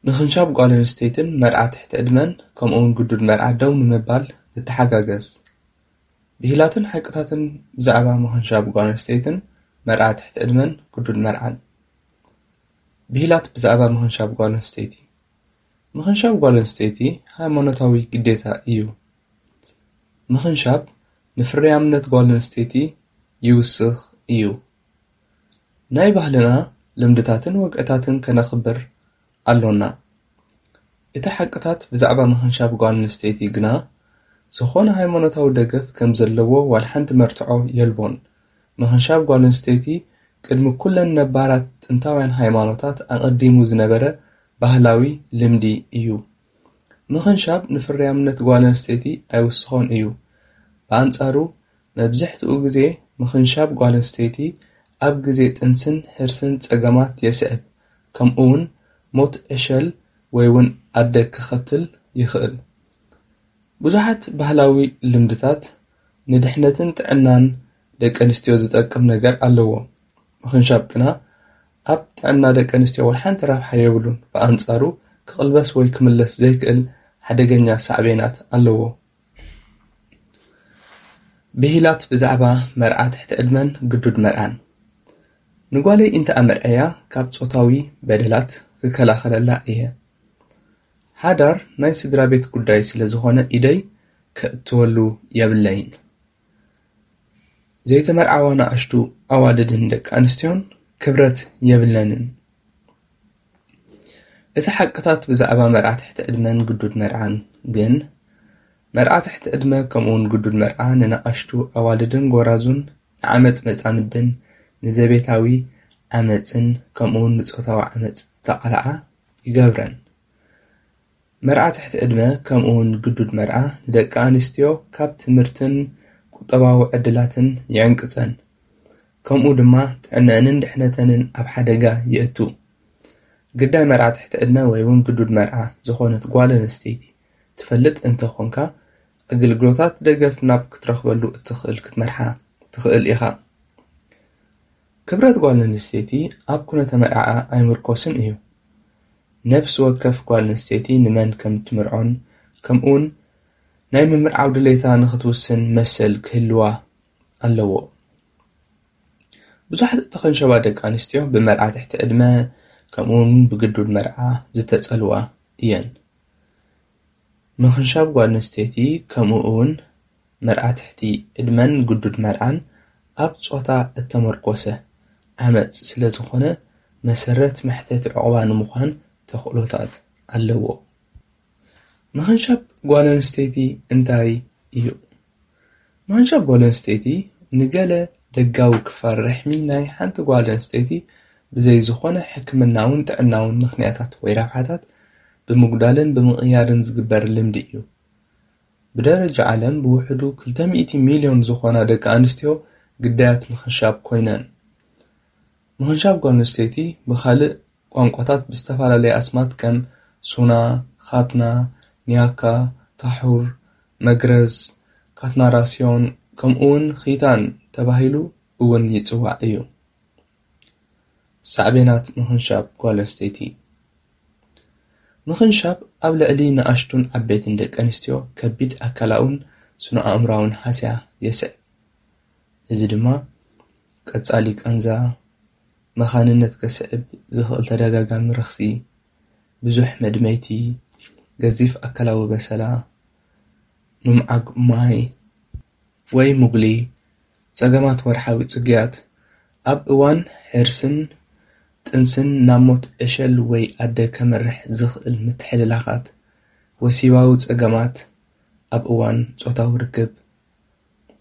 ምኽንሻብ ጓል ኣንስተይትን መርዓ ትሕቲ ዕድመን ከምኡውን ግዱድ መርዓ ደው ንምባል ንተሓጋገዝ። ብሂላትን ሓቅታትን ብዛዕባ ምኽንሻብ ጓል ኣንስተይትን መርዓ ትሕቲ ዕድመን ግዱድ መርዓን። ብሂላት ብዛዕባ ምኽንሻብ ጓል ኣንስተይቲ። ምኽንሻብ ጓል ኣንስተይቲ ሃይማኖታዊ ግዴታ እዩ። ምኽንሻብ ንፍርያምነት ጓል ኣንስተይቲ ይውስኽ እዩ። ናይ ባህልና ልምድታትን ወግዕታትን ከነኽብር ኣሎና። እቲ ሓቅታት ብዛዕባ ምኽንሻብ ጓል ኣንስተይቲ ግና ዝኾነ ሃይማኖታዊ ደገፍ ከም ዘለዎ ዋላ ሓንቲ መርትዖ የልቦን። ምኽንሻብ ጓል ኣንስተይቲ ቅድሚ ኩለን ነባራት ጥንታውያን ሃይማኖታት ኣቐዲሙ ዝነበረ ባህላዊ ልምዲ እዩ። ምኽንሻብ ንፍርያምነት ጓል ኣንስተይቲ ኣይውስኾን እዩ። ብኣንጻሩ፣ መብዝሕትኡ ግዜ ምኽንሻብ ጓል ኣንስተይቲ ኣብ ግዜ ጥንስን ሕርስን ጸገማት የስዕብ፣ ከምኡውን ሞት ዕሸል ወይ እውን ኣደ ክኸትል ይኽእል። ብዙሓት ባህላዊ ልምድታት ንድሕነትን ጥዕናን ደቂ ኣንስትዮ ዝጠቅም ነገር ኣለዎ። ምኽንሻብ ግና ኣብ ጥዕና ደቂ ኣንስትዮ ዋላ ሓንቲ ረብሓ የብሉን። ብኣንጻሩ፣ ክቕልበስ ወይ ክምለስ ዘይክእል ሓደገኛ ሳዕቤናት ኣለዎ። ብሂላት ብዛዕባ መርዓ ትሕቲ ዕድመን ግዱድ መርዓን። ንጓለይ እንተ ኣመርዐያ ካብ ጾታዊ በደላት ክከላኸለላ እየ። ሓዳር ናይ ስድራ ቤት ጉዳይ ስለ ዝኾነ ኢደይ ከእትወሉ የብለይን። ዘይተመርዓዋ ንኣሽቱ ኣዋልድን ደቂ ኣንስትዮን ክብረት የብለንን። እቲ ሓቅታት ብዛዕባ መርዓ ትሕቲ ዕድመን ግዱድ መርዓን ግን፣ መርዓ ትሕቲ ዕድመ ከምኡውን ግዱድ መርዓ ንንኣሽቱ ኣዋልድን ጎራዙን ንዓመጽ መጻምድን ንዘቤታዊ ዓመጽን ከምኡውን ንጾታዊ ዓመጽ ዝተቓልዓ ይገብረን። መርዓ ትሕቲ ዕድመ ከምኡውን ግዱድ መርዓ ንደቂ ኣንስትዮ ካብ ትምህርትን ቁጠባዊ ዕድላትን ይዕንቅጸን። ከምኡ ድማ ጥዕነአንን ድሕነተንን ኣብ ሓደጋ የእቱ። ግዳይ መርዓ ትሕቲ ዕድመ ወይ እውን ግዱድ መርዓ ዝኾነት ጓል ኣንስተይቲ ትፈልጥ እንተኾንካ፣ ኣገልግሎታት ደገፍ ናብ ክትረኽበሉ እትኽእል ክትመርሓ ትኽእል ኢኻ። ክብረት ጓል ኣንስተይቲ ኣብ ኩነተ መርዓኣ ኣይምርኮስን እዩ። ነፍሲ ወከፍ ጓል ኣንስተይቲ ንመን ከም እትምርዖን ከምኡውን ናይ ምምርዓው ድሌታ ንኽትውስን መሰል ክህልዋ ኣለዎ። ብዙሓት እተኸንሸባ ደቂ ኣንስትዮ ብመርዓ ትሕቲ ዕድመ ከምኡውን ብግዱድ መርዓ ዝተጸልዋ እየን። ምኽንሻብ ጓል ኣንስተይቲ ከምኡ እውን መርዓ ትሕቲ ዕድመን ግዱድ መርዓን ኣብ ጾታ እተመርኮሰ ዓመጽ ስለ ዝኾነ፣ መሰረት መሕተቲ ዑቕባ ንምዃን ተኽእሎታት ኣለዎ። ምኽንሻብ ጓል ኣንስተይቲ እንታይ እዩ? ምኽንሻብ ጓል ኣንስተይቲ ንገለ ደጋዊ ክፋል ርሕሚ ናይ ሓንቲ ጓል ኣንስተይቲ ብዘይ ዝኾነ ሕክምናውን ጥዕናውን ምኽንያታት ወይ ረብሓታት ብምጉዳልን ብምቕያርን ዝግበር ልምዲ እዩ። ብደረጃ ዓለም ብውሕዱ ክልተ ሚእቲ ሚልዮን ዝኾና ደቂ ኣንስትዮ ግዳያት ምኽንሻብ ኮይነን። ምኽንሻብ ጓል ኣንስተይቲ ብኻልእ ቋንቋታት ብዝተፈላለየ ኣስማት ከም ሱና፣ ኻትና፣ ኒያካ፣ ታሑር፣ መግረዝ፣ ካትናራስዮን ከምኡውን ኺታን ተባሂሉ እውን ይጽዋዕ እዩ። ሳዕቤናት ምኽንሻብ ጓል ኣንስተይቲ። ምኽንሻብ ኣብ ልዕሊ ንኣሽቱን ዓበይትን ደቂ ኣንስትዮ ከቢድ ኣካላውን ስነ ኣእምራውን ሃስያ የስዕብ። እዚ ድማ ቀጻሊ ቃንዛ፣ መኻንነት ከስዕብ ዝኽእል ተደጋጋሚ ረኽሲ፣ ብዙሕ መድመይቲ፣ ገዚፍ ኣካላዊ በሰላ፣ ምምዓግ ማይ ወይ ሙግሊ፣ ጸገማት ወርሓዊ ጽግያት፣ ኣብ እዋን ሕርስን ጥንስን ናብ ሞት ዕሸል ወይ ኣደ ከመርሕ ዝኽእል ምትሕልላኻት፣ ወሲባዊ ጸገማት ኣብ እዋን ጾታዊ ርክብ፣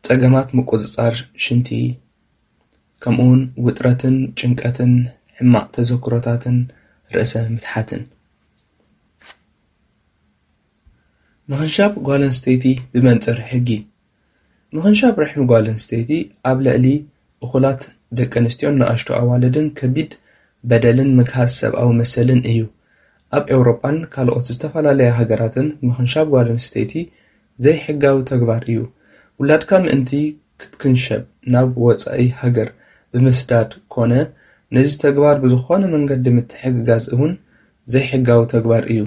ጸገማት ምቁጽጻር ሽንቲ፣ ከምኡውን ውጥረትን ጭንቀትን ሕማቕ ተዘክሮታትን ርእሰ ምትሓትን። ምኽንሻብ ጓል ኣንስተይቲ ብመንጽር ሕጊ። ምኽንሻብ ርሕሚ ጓል ኣንስተይቲ ኣብ ልዕሊ እኹላት ደቂ ኣንስትዮን ንኣሽቱ ኣዋልድን ከቢድ በደልን ምግሃስ ሰብኣዊ መሰልን እዩ። ኣብ ኤውሮጳን ካልኦት ዝተፈላለያ ሃገራትን ምኽንሻብ ጓል ኣንስተይቲ ዘይሕጋዊ ተግባር እዩ። ውላድካ ምእንቲ ክትክንሸብ ናብ ወጻኢ ሃገር ብምስዳድ ኮነ ነዚ ተግባር ብዝኾነ መንገዲ ምትሕግጋዝ እውን ዘይሕጋዊ ተግባር እዩ።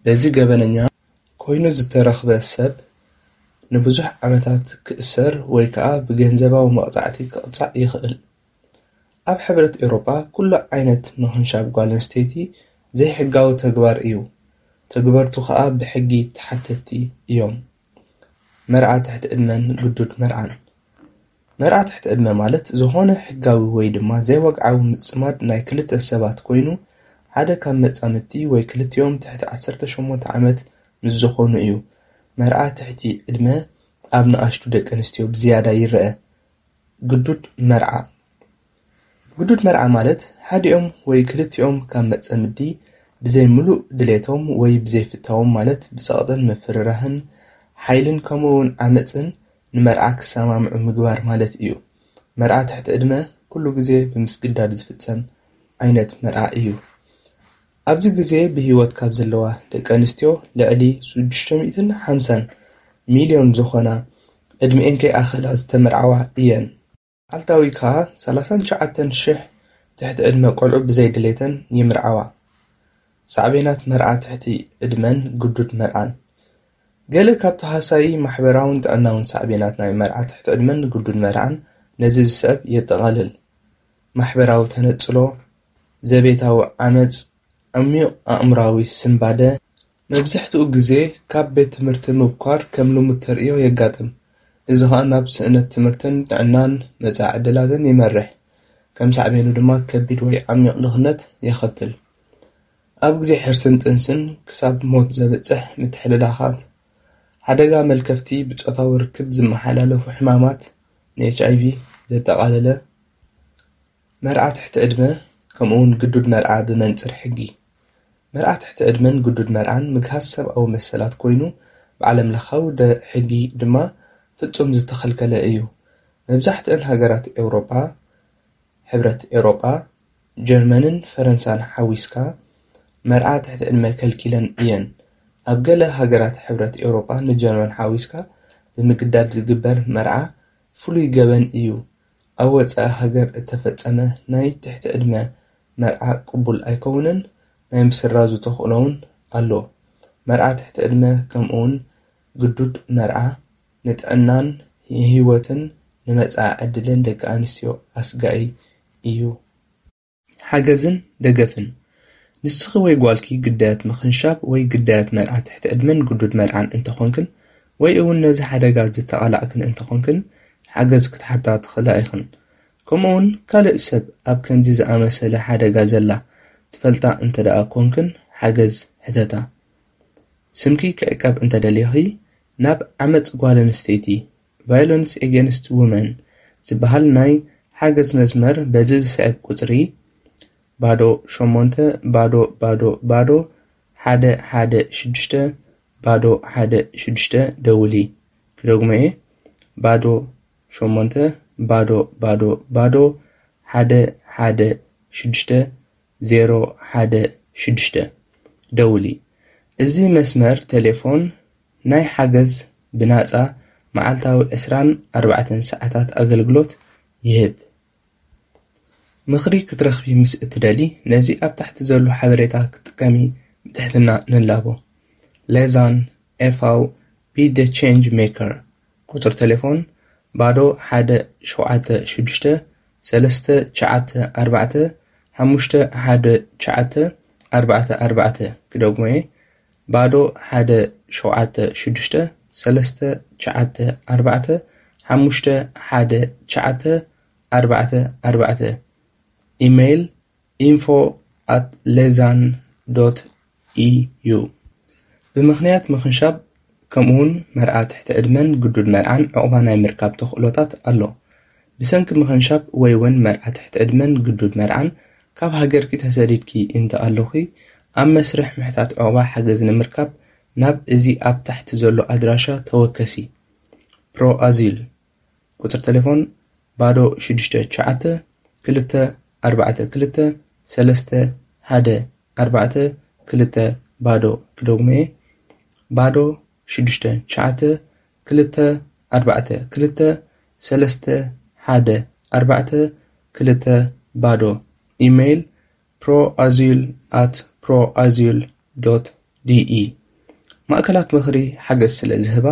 በዚ ገበነኛ ኮይኑ ዝተረኽበ ሰብ ንብዙሕ ዓመታት ክእሰር ወይ ከዓ ብገንዘባዊ መቕጻዕቲ ክቕጻዕ ይኽእል። ኣብ ሕብረት ኤውሮጳ ኩሉ ዓይነት ምኽንሻብ ጓል ኣንስተይቲ ዘይሕጋዊ ተግባር እዩ። ተግበርቱ ከዓ ብሕጊ ተሓተትቲ እዮም። መርዓ ትሕቲ ዕድመን ግዱድ መርዓን። መርዓ ትሕቲ ዕድመ ማለት ዝኾነ ሕጋዊ ወይ ድማ ዘይወግዓዊ ምጽማድ ናይ ክልተ ሰባት ኮይኑ ሓደ ካብ መጻምድቲ ወይ ክልቲኦም ትሕቲ ዓሰርተ ሸሞንተ ዓመት ምስ ዝኾኑ እዩ። መርዓ ትሕቲ ዕድመ ኣብ ንኣሽቱ ደቂ ኣንስትዮ ብዝያዳ ይረአ። ግዱድ መርዓ። ግዱድ መርዓ ማለት ሓዲኦም ወይ ክልቲኦም ካብ መጸምዲ ብዘይ ምሉእ ድሌቶም ወይ ብዘይ ፍታዎም ማለት ብጸቕጥን ምፍርራህን ሓይልን ከምኡ እውን ዓመጽን ንመርዓ ክሰማምዑ ምግባር ማለት እዩ። መርዓ ትሕቲ ዕድመ ኩሉ ግዜ ብምስግዳድ ዝፍጸም ዓይነት መርዓ እዩ። ኣብዚ ግዜ ብህይወት ካብ ዘለዋ ደቂ ኣንስትዮ ልዕሊ ሽዱሽተ ሚእትን ሓምሳን ሚልዮን ዝኾና ዕድሚኤን ከይኣኸላ ዝተመርዓዋ እየን። መዓልታዊ ከኣ ሰላሳን ትሽዓተን ሽሕ ትሕቲ ዕድመ ቆልዑ ብዘይ ድሌተን ይምርዓዋ። ሳዕቤናት መርዓ ትሕቲ ዕድመን ግዱድ መርዓን። ገለ ካብቲ ሃሳዪ ማሕበራውን ጥዕናውን ሳዕቤናት ናይ መርዓ ትሕቲ ዕድመን ግዱድ መርዓን ነዚ ዝስዕብ የጠቓልል። ማሕበራዊ ተነጽሎ፣ ዘቤታዊ ዓመጽ፣ ዓሚቕ ኣእምሮኣዊ ስንባደ። መብዛሕትኡ ግዜ ካብ ቤት ትምህርቲ ምብኳር ከም ልሙድ ተርእዮ የጋጥም። እዚ ኸኣ ናብ ስእነት ትምህርትን ጥዕናን መጻኢ ዕድላትን ይመርሕ። ከም ሳዕቤኑ ድማ ከቢድ ወይ ዓሚቕ ድኽነት የኸትል። ኣብ ግዜ ሕርስን ጥንስን ክሳብ ሞት ዘብጽሕ ምትሕልላኻት፣ ሓደጋ መልከፍቲ ብጾታዊ ርክብ ዝመሓላለፉ ሕማማት፣ ን ኤች ኣይ ቪ ዘጠቓለለ፣ መርዓ ትሕቲ ዕድመ፣ ከምኡውን ግዱድ መርዓ ብመንጽር ሕጊ። መርዓ ትሕቲ ዕድመን ግዱድ መርዓን ምግሃስ ሰብኣዊ መሰላት ኮይኑ፣ ብዓለም ለኻዊ ደ-፣ ሕጊ ድማ ፍጹም ዝተኸልከለ እዩ። መብዛሕትአን ሃገራት ኤውሮጳ፣ ሕብረት ኤውሮጳ፣ ጀርመንን ፈረንሳን ሓዊስካ፣ መርዓ ትሕቲ ዕድመ ከልኪለን እየን። ኣብ ገለ ሃገራት ሕብረት ኤውሮጳ ንጀርመን ሓዊስካ ብምግዳድ ዝግበር መርዓ ፍሉይ ገበን እዩ። ኣብ ወጻኢ ሃገር እተፈጸመ ናይ ትሕቲ ዕድመ መርዓ ቅቡል ኣይከውንን፣ ናይ ምስራዙ ተኽእሎ እውን ኣሎ። መርዓ ትሕቲ ዕድመ ከምኡውን ግዱድ መርዓ ንጥዕናን ንህይወትን ንመጻኢ ዕድልን ደቂ ኣንስትዮ ኣስጋኢ እዩ። ሓገዝን ደገፍን። ንስኺ ወይ ጓልኪ ግዳያት ምኽንሻብ ወይ ግዳያት መርዓ ትሕቲ ዕድመን ግዱድ መርዓን እንተኾንክን፣ ወይ እውን ነዚ ሓደጋ ዝተቓላዕክን እንተኾንክን፣ ሓገዝ ክትሓታ ትኽእላ ኢኽን። ከምኡውን ካልእ ሰብ ኣብ ከምዚ ዝኣመሰለ ሓደጋ ዘላ ትፈልጣ እንተ ደኣ ኮንክን፣ ሓገዝ ሕተታ። ስምኪ ክዕቀብ እንተ ደሊኺ፣ ናብ ዓመጽ ጓል ኣንስተይቲ፣ ቫዮለንስ ኤጌንስት ውመን፣ ዝበሃል ናይ ሓገዝ መስመር በዚ ዝስዕብ ቁጽሪ፣ ባዶ ሸሞንተ ባዶ ባዶ ባዶ ሓደ ሓደ ሽዱሽተ ባዶ ሓደ ሽዱሽተ ደውሊ። ክደግሞ እየ፣ ባዶ ሸሞንተ ባዶ ባዶ ባዶ ሓደ ሓደ ሽዱሽተ ዜሮ ሓደ ሽዱሽተ ደውሊ። እዚ መስመር ቴሌፎን ናይ ሓገዝ ብናጻ መዓልታዊ ዕስራን ኣርባዕተን ሰዓታት ኣገልግሎት ይህብ። ምኽሪ ክትረኽቢ ምስ እትደሊ፣ ነዚ ኣብ ታሕቲ ዘሎ ሓበሬታ ክትጥቀሚ ብትሕትና ንላቦ። ሌዛን ኤፍ ቢ ደ ቼንጅ ሜከር። ቁጽሪ ቴሌፎን ባዶ ሓደ ሸውዓተ ሽዱሽተ ሰለስተ ትሽዓተ ኣርባዕተ ሓሙሽተ ሓደ ትሽዓተ ኣርባዕተ ኣርባዕተ። ክደግሞ እየ፣ ባዶ ሓደ ሸውዓተ ሽዱሽተ ሰለስተ ትሽዓተ ኣርባዕተ ሓሙሽተ ሓደ ትሽዓተ ኣርባዕተ ኣርባዕተ። ኢሜይል ኢንፎ ኣት ሌዛን ዶት ኢዩ። ብምኽንያት ምኽንሻብ ከምኡውን መርዓ ትሕቲ ዕድመን ግዱድ መርዓን ዕቑባ ናይ ምርካብ ተኽእሎታት ኣሎ። ብሰንኪ ምኽንሻብ ወይ እውን መርዓ ትሕቲ ዕድመን ግዱድ መርዓን ካብ ሃገርኪ ተሰዲድኪ እንተ ኣሎኺ፣ ኣብ መስርሕ ምሕታት ዕቑባ ሓገዝ ንምርካብ ናብ እዚ ኣብ ታሕቲ ዘሎ ኣድራሻ ተወከሲ። ፕሮ ኣዚል። ቁጽሪ ቴሌፎን ባዶ ሽዱሽተ ትሽዓተ ክልተ ኣርባዕተ ክልተ ሰለስተ ሓደ ኣርባዕተ ክልተ ባዶ። ክደግሞ እየ፣ ባዶ ሽዱሽተ ትሽዓተ ክልተ ኣርባዕተ ክልተ ሰለስተ ሓደ ኣርባዕተ ክልተ ባዶ። ኢሜይል ፕሮ ኣዚል ኣት proazul dot de። ማእከላት ምኽሪ ሓገዝ ስለ ዝህባ፣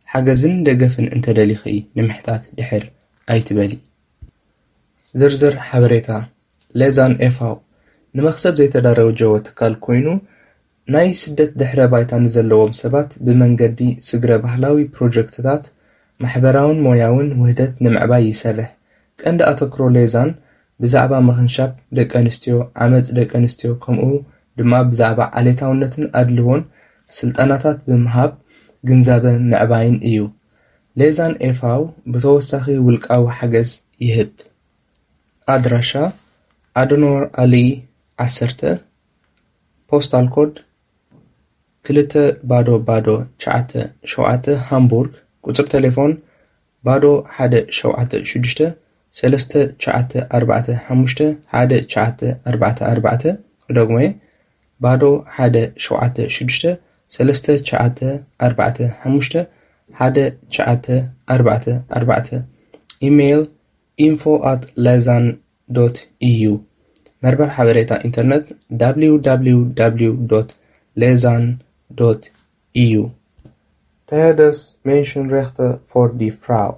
ሓገዝን ደገፍን እንተደሊኺ ንምሕታት ድሕር ኣይትበሊ። ዝርዝር ሓበሬታ። ሌዛን ኤፋው ንመኽሰብ ዘይተዳረወጀወ ትካል ኮይኑ፣ ናይ ስደት ድሕረ ባይታ ንዘለዎም ሰባት ብመንገዲ ስግረ ባህላዊ ፕሮጀክትታት፣ ማሕበራውን ሞያውን ውህደት ንምዕባይ ይሰርሕ። ቀንዲ ኣተክሮ ሌዛን ብዛዕባ ምኽንሻብ ደቂ ኣንስትዮ፣ ዓመጽ ደቂ ኣንስትዮ፣ ከምኡ ድማ ብዛዕባ ዓሌታውነትን ኣድልዎን ስልጠናታት ብምሃብ ግንዛበ ምዕባይን እዩ። ሌዛን ኤፋው ብተወሳኺ ውልቃዊ ሓገዝ ይህብ። ኣድራሻ ኣደኖር ኣሊ ዓሰርተ፣ ፖስታል ኮድ ክልተ ባዶ ባዶ ትሽዓተ ሸውዓተ ሃምቡርግ፣ ቁጽሪ ቴሌፎን ባዶ ሓደ ሸውዓተ ሽዱሽተ ሰለስተ ትሽዓተ ኣርባዕተ ሓሙሽተ ሓደ ትሽዓተ ኣርባዕተ ኣርባዕተ። ክደግሞ እየ፣ ባዶ ሓደ ሸውዓተ ሽዱሽተ ሰለስተ ትሽዓተ ኣርባዕተ ሓሙሽተ ሓደ ትሽዓተ ኣርባዕተ ኣርባዕተ። ኢሜይል ኢንፎ ኣት ሌዛን ዶት ኢዩ። መርበብ ሓበሬታ ኢንተርነት www dot lezan dot eu። Tehedes Menschenrechte for die Frau።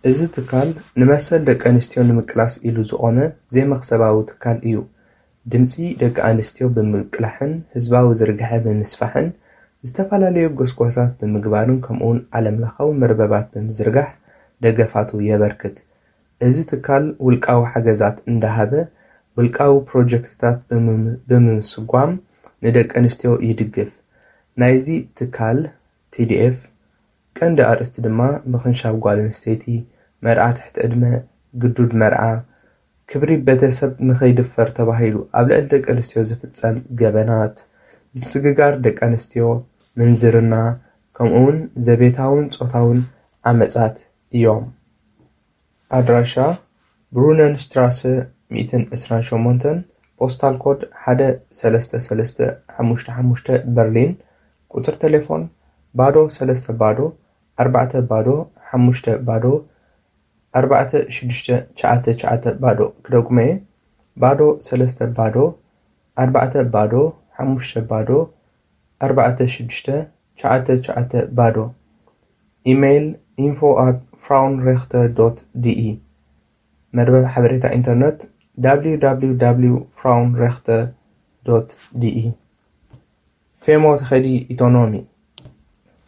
እዚ ትካል ንመሰል ደቂ ኣንስትዮ ንምቅላስ ኢሉ ዝቖመ ዘይመኽሰባዊ ትካል እዩ። ድምጺ ደቂ ኣንስትዮ ብምቅላሕን ህዝባዊ ዝርግሐ ብምስፋሕን ዝተፈላለዩ ጎስጓሳት ብምግባርን ከምኡውን ዓለምለኻዊ መርበባት ብምዝርጋሕ ደገፋቱ የበርክት። እዚ ትካል ውልቃዊ ሓገዛት እንዳሃበ ውልቃዊ ፕሮጀክትታት ብምም- ብምስጓም ንደቂ ኣንስትዮ ይድግፍ። ናይዚ ትካል ቲ ዲ ኤፍ ቀንዲ ኣርእስቲ ድማ ምኽንሻብ ጓል ኣንስተይቲ፣ መርዓ ትሕቲ ዕድመ፣ ግዱድ መርዓ፣ ክብሪ ቤተሰብ ንኸይድፈር ተባሂሉ ኣብ ልዕሊ ደቂ ኣንስትዮ ዝፍጸም ገበናት፣ ምስግጋር ደቂ ኣንስትዮ፣ ምንዝርና፣ ከምኡውን ዘቤታውን ጾታውን ዓመጻት እዮም። ኣድራሻ ብሩነንስትራሰ ሚእትን ዕስራን ሸሞንተን፣ ፖስታል ኮድ ሓደ ሰለስተ ሰለስተ ሓሙሽተ ሓሙሽተ በርሊን፣ ቁጽሪ ቴሌፎን ባዶ ሰለስተ ባዶ ኣርባዕተ ባዶ ሓሙሽተ ባዶ ኣርባዕተ ሽዱሽተ ትሽዓተ ትሽዓተ ባዶ። ክደግሞ እየ፣ ባዶ ሰለስተ ባዶ ኣርባዕተ ባዶ ሓሙሽተ ባዶ ኣርባዕተ ሽዱሽተ ትሽዓተ ትሽዓተ ባዶ። ኢሜይል ኢንፎ ኣት ፍራውንሬክተ ዶት ዲኢ። መርበብ ሓበሬታ ኢንተርነት www frauenrechte dot de። ፌሞ ተኸዲ ኢኮኖሚ።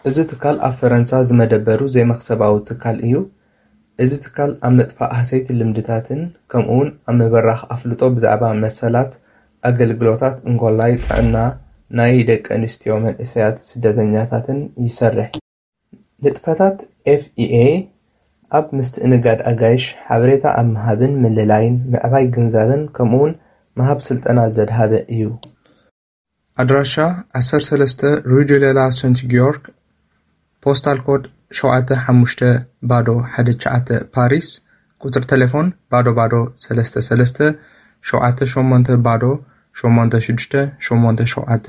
እዚ ትካል ኣብ ፈረንሳ ዝመደበሩ ዘይመኽሰባዊ ትካል እዩ። እዚ ትካል ኣብ ምጥፋእ ሃሰይቲ ልምድታትን ከምኡውን ኣብ ምብራኽ ኣፍልጦ ብዛዕባ መሰላት ኣገልግሎታት እንኮላይ ጥዕና ናይ ደቂ ኣንስትዮ መንእሰያት ስደተኛታትን ይሰርሕ። ንጥፈታት ኤፍ ኢ ኤ ኣብ ምስትእንጋድ ኣጋይሽ፣ ሓበሬታ ኣብ ምሃብን ምልላይን፣ ምዕባይ ግንዛበን ከምኡውን ምሃብ ስልጠና ዘድሃበ እዩ። ኣድራሻ ዓሰርተ ሰለስተ ሩይ ዴ ሌላ ሰንት ጊዮርግ፣ ፖስታል ኮድ ሸውዓተ ሓሙሽተ ባዶ ሓደ ትሽዓተ ፓሪስ፣ ቁጽሪ ቴሌፎን ባዶ ባዶ ሰለስተ ሰለስተ ሸውዓተ ሸሞንተ ባዶ ሸሞንተ ሽዱሽተ ሸሞንተ ሸውዓተ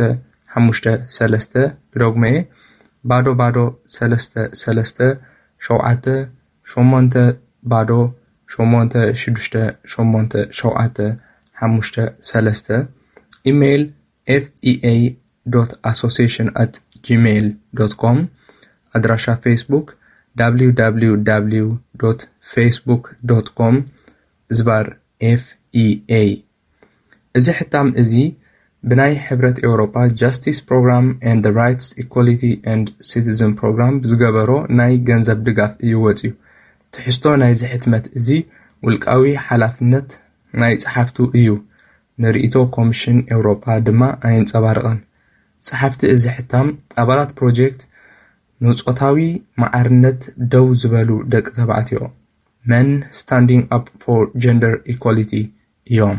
ሓሙሽተ ሰለስተ። ክደግሞ እየ፣ ባዶ ባዶ ሰለስተ ሰለስተ ሸውዓተ ሸሞንተ ባዶ ሸሞንተ ሽዱሽተ ሸሞንተ ሸውዓተ ሓሙሽተ ሰለስተ። ኢሜይል ኤፍ ኢ ኤ ዶት ኣሶሲሽን ኣት ጂሜይል ዶት ኮም። ኣድራሻ ፌስቡክ www facebook dot com ዝባር ኤፍ ኢ ኤ። እዚ ሕታም እዚ ብናይ ሕብረት ኤውሮጳ ጃስቲስ ፕሮግራም and the Rights, Equality and Citizen Program ብዝገበሮ ናይ ገንዘብ ድጋፍ እዩ ወጺኡ። ትሕዝቶ ናይዚ ሕትመት እዚ ውልቃዊ ሓላፍነት ናይ ጸሓፍቱ እዩ። ንርእይቶ ኮሚሽን ኤውሮጳ ድማ ኣየንጸባርቕን። ጸሓፍቲ እዚ ሕታም ኣባላት ፕሮጀክት ንጾታዊ ማዕርነት ደው ዝበሉ ደቂ ተባዕትዮ፣ Men Standing Up for Gender Equality፣ እዮም።